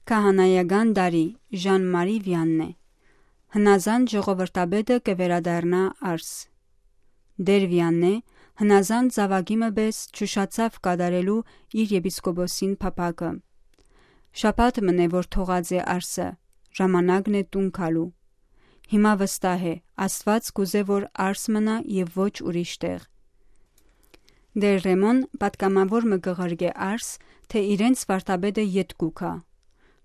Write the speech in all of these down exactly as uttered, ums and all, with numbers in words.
Քահանայական տարի, Ժան Մարի Վիաննե։ Հնազանդ ժողովրդապետը կը վերադառնայ Արս։ Տէր Վիաննե հնազանդ զաւակի մը պէս չուշացաւ կատարելու իր եպիսկոպոսին փափաքը։ Շաբաթ մըն է, որ թողած է Արսը, ժամանակն է տուն գալու։ Հիմա վստահ է, Աստուած կ'ուզէ, որ Արս մնայ եւ ոչ ուրիշ տեղ։ Տէր Ռեմոն պատգամաւոր մը կը ղրկէ Արս, թէ իրենց վարդապետը ետ կու գայ։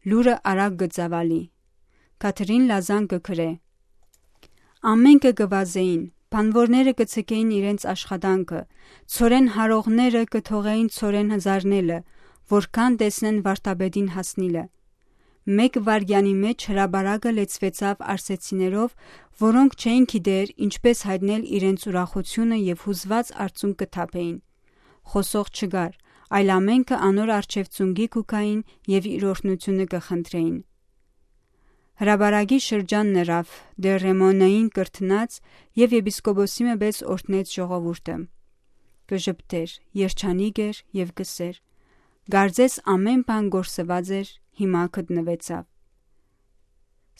Լուրը արագ կը ծաւալի։ Կաթրին Լազան կը գրէ. «Ամէնքը կը վազէին, բանուորները կը ձգէին իրենց աշխատանքը, ցորեն հարողները կը թողէին ցորեն հզարնելը, որքան տեսնեն վարդապետին հասնիլը։ Մէկ վայրկեանի մէջ հրապարակը լեցուեցաւ արսեցիներով, որոնք չէին գիտեր ինչպէս յայտնել իրենց ուրախութիւնը եւ յուզուած արցունք կը թափէին։ Խօսող չկար, այլ ամէնքը անոր առջեւ ծունկի կու գային եւ իր օրհնութիւնը կը խնդրէին»։ Հրապարակի շրջանն ըրաւ, Տէր Ռեմոննային կրթնած եւ եպիսկոպոսի մը պէս օրհնեց ժողովուրդը։ Կը ժպտէր, երջանիկ էր եւ կ'ըսէր. «Կարծես ամէն բան կորսուած էր, հիմա գտնուեցաւ»։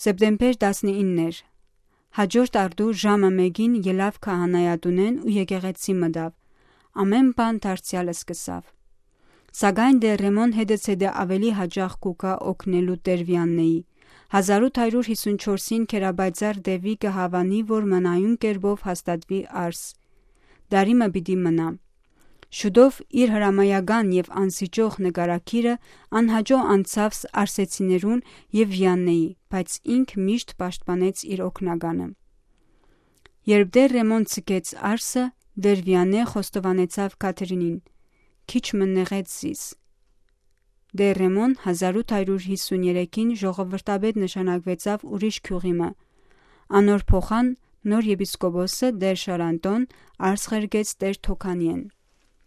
Սեպտեմբեր տասնինն էր։ Հաջորդ արտու ժամը մէկին ելաւ քահանայատունէն ու եկեղեցի մտաւ։ Ամէն բան դարձեալ սկսաւ։ Սակայն Տէր Ռեմոն հետզհետէ աւելի յաճախ կու գայ օգնելու Տէր Վիաննեի։ Հազար ութ հարիւր յիսուն չորսին Քերապայծառ Տեւի կը հաւանի, որ մնայուն կերպով հաստատուի Արս։ Տարի մը պիտի մնայ։ Շուտով իր հրամայական եւ անսիճող նկարագիրը անհաճոյ անցաւ ս-, արսեցիներուն եւ Վիաննեի, բայց ինք միշտ պաշտպանեց իր օգնականը։ Երբ Տէր Ռեմոն ձգեց Արսը, Տէր Վիաննե խոստովանեցաւ Կաթրինին. «Քիչ մը նեղեց զիս»։ Տէր Ռեմոն հազար ութ հարիւր յիսուն երեքին ժողովրդապետ նշանակուեցաւ ուրիշ գիւղի մը։ Անոր փոխան նոր եպիսկոպոսը Տէր Շարանտոն Արս ղրկեց Տէր Թոքանիէն։